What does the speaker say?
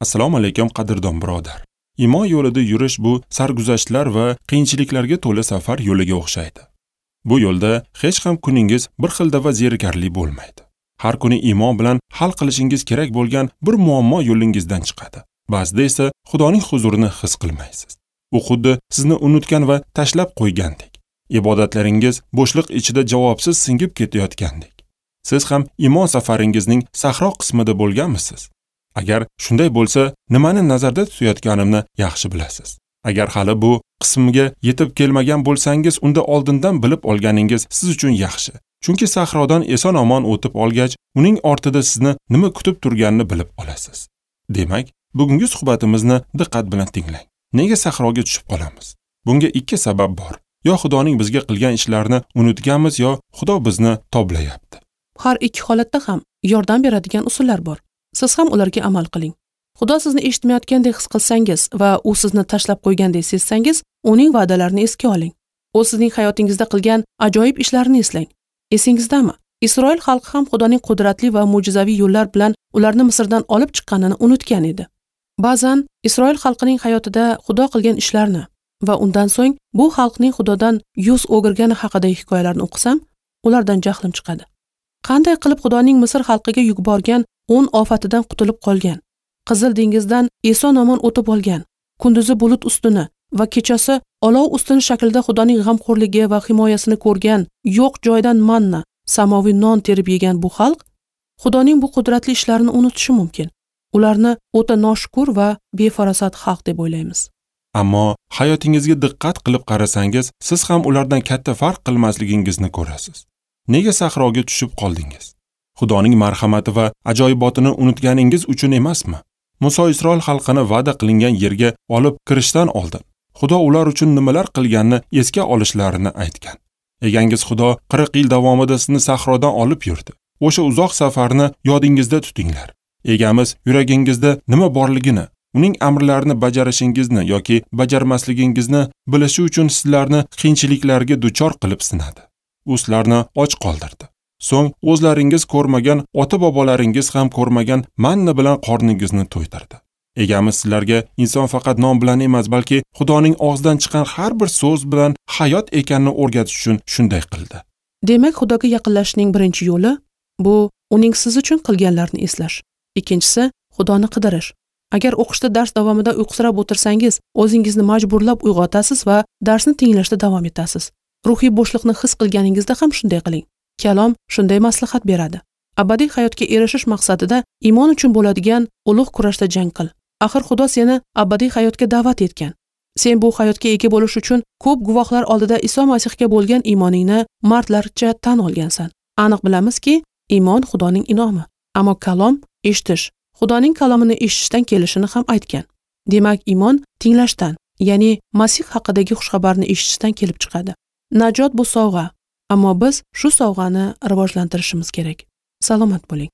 Assalomu alaykum qadrdon birodar. Iymon yo'lida yurish bu sarguzashtlar va qiyinchiliklarga to'la safar yo'liga o'xshaydi. Bu yo'lda hech ham kuningiz bir xilda va zerikarli bo'lmaydi. Har kuni iymon bilan hal qilishingiz kerak bo'lgan bir muammo yo'lingizdan chiqadi. Ba'zida esa Xudoning huzurini his qilmaysiz. U xuddi sizni unutgan va tashlab qo'ygandek. Ibodatlaringiz bo'shliq ichida javobsiz singib ketayotgandek. Siz ham iymon safaringizning sahro qismida bo'lganmisiz? Agar shunday bo'lsa, nimani nazarda tutayotganimni yaxshi bilasiz. Agar hali bu qismga yetib kelmagan bo'lsangiz, unda oldindan bilib olganingiz siz uchun yaxshi. Chunki sahrodan eson-omon o'tib olgach, uning ortida sizni nima kutib turganini bilib olasiz. Demak, bugungi suhbatimizni diqqat bilan tinglang. Nega sahroga tushib qolamiz? Bunga ikki sabab bor. Yo Xudoning bizga qilgan ishlarini unutganmiz, yo Xudo bizni toblayapti. Har ikki holatda ham yordam beradigan usullar bor. Siz ham ularga amal qiling. Xudo sizni eshitmayotgandek his qilsangiz va u sizni tashlab qo'ygandek sezsangiz, uning va'dalarini esga oling. U sizning hayotingizda qilgan ajoyib ishlarini eslang. Esingizdami? Isroil xalqi ham Xudoning qudratli va mo'jizaviy yo'llar bilan ularni Misrdan olib chiqqanini unutgan edi. Ba'zan Isroil xalqining hayotida Xudo qilgan ishlarni va undan so'ng bu xalqning Xudodan yuz o'girgani haqidagi hikoyalarni o'qisam, ulardan jahlim chiqadi. Qanday qilib Xudoning Misr xalqiga yuborgan 10 ofatidan qutulib qolgan, Qizil dengizdan eson-omon o'tib olgan, kunduzi bulut ustuni va kechasi olov ustuni shaklida Xudoning g'amxo'rligi va himoyasini ko'rgan, yo'q joydan manna, samoviy non terib yegan bu xalq Xudoning bu qudratli ishlarini unutishi mumkin. Ularni o'ta noshukur va befarosat xalq deb o'ylaymiz. Ammo hayotingizga diqqat qilib qarasangiz, siz ham ulardan katta farq qilmasligingizni ko'rasiz. Nega sahroga tushib qoldingiz? Xudoning marhamati va ajoyibotini unutganingiz uchun emasmi? Muso Isroil xalqini va'da qilingan yerga olib kirishdan oldin Xudo ular uchun nimalar qilganini esga olishlarini aytgan. Egangiz Xudo 40 yil davomida sizni sahrodan olib yurdi. O'sha uzoq safarni yodingizda tutinglar. Egamiz yuragingizda nima borligini, uning amrlarini bajarishingizni yoki bajarmasligingizni bilishi uchun sizlarni qiyinchiliklarga duchor qilib sinadi. U sizlarni och qoldirdi. So'ng o'zlaringiz ko'rmagan, ota-bobolaringiz ham ko'rmagan manna bilan qorningizni to'ydirdi. Egamiz sizlarga inson faqat non bilan emas, balki Xudoning og'zidan chiqqan har bir so'z bilan hayot ekanini o'rgatish uchun shunday qildi. Demak, Xudoga yaqinlashishning birinchi yo'li bu uning siz uchun qilganlarini eslash. Ikkinchisi, Xudoni qidirish. Agar o'qishda dars davomida uyqusirab o'tirsangiz, o'zingizni majburlab uyg'otasiz va darsni tinglashda davom etasiz. Ruhiy bo'shliqni his qilganingizda ham shunday qiling. Kalom shunday maslahat beradi. Abadiy hayotga erishish maqsadida iymon uchun bo'ladigan ulug' kurashda jang qil. Axir Xudo seni abadiy hayotga da'vat etgan. Sen bu hayotga ega bo'lish uchun ko'p guvohlar oldida Iso Masihga bo'lgan iymoningni mardlarcha tan olgansan. Aniq bilamizki, iymon Xudoning in'omi. Ammo kalom eshitish, Xudoning kalomini eshitishdan kelishini ham aytgan. Demak, iymon tinglashdan, ya'ni Masih haqidagi xushxabarni eshitishdan kelib chiqadi. Najot bu sovg'a, ammo biz shu sovg'ani rivojlantirishimiz kerak. Salomat bo'ling.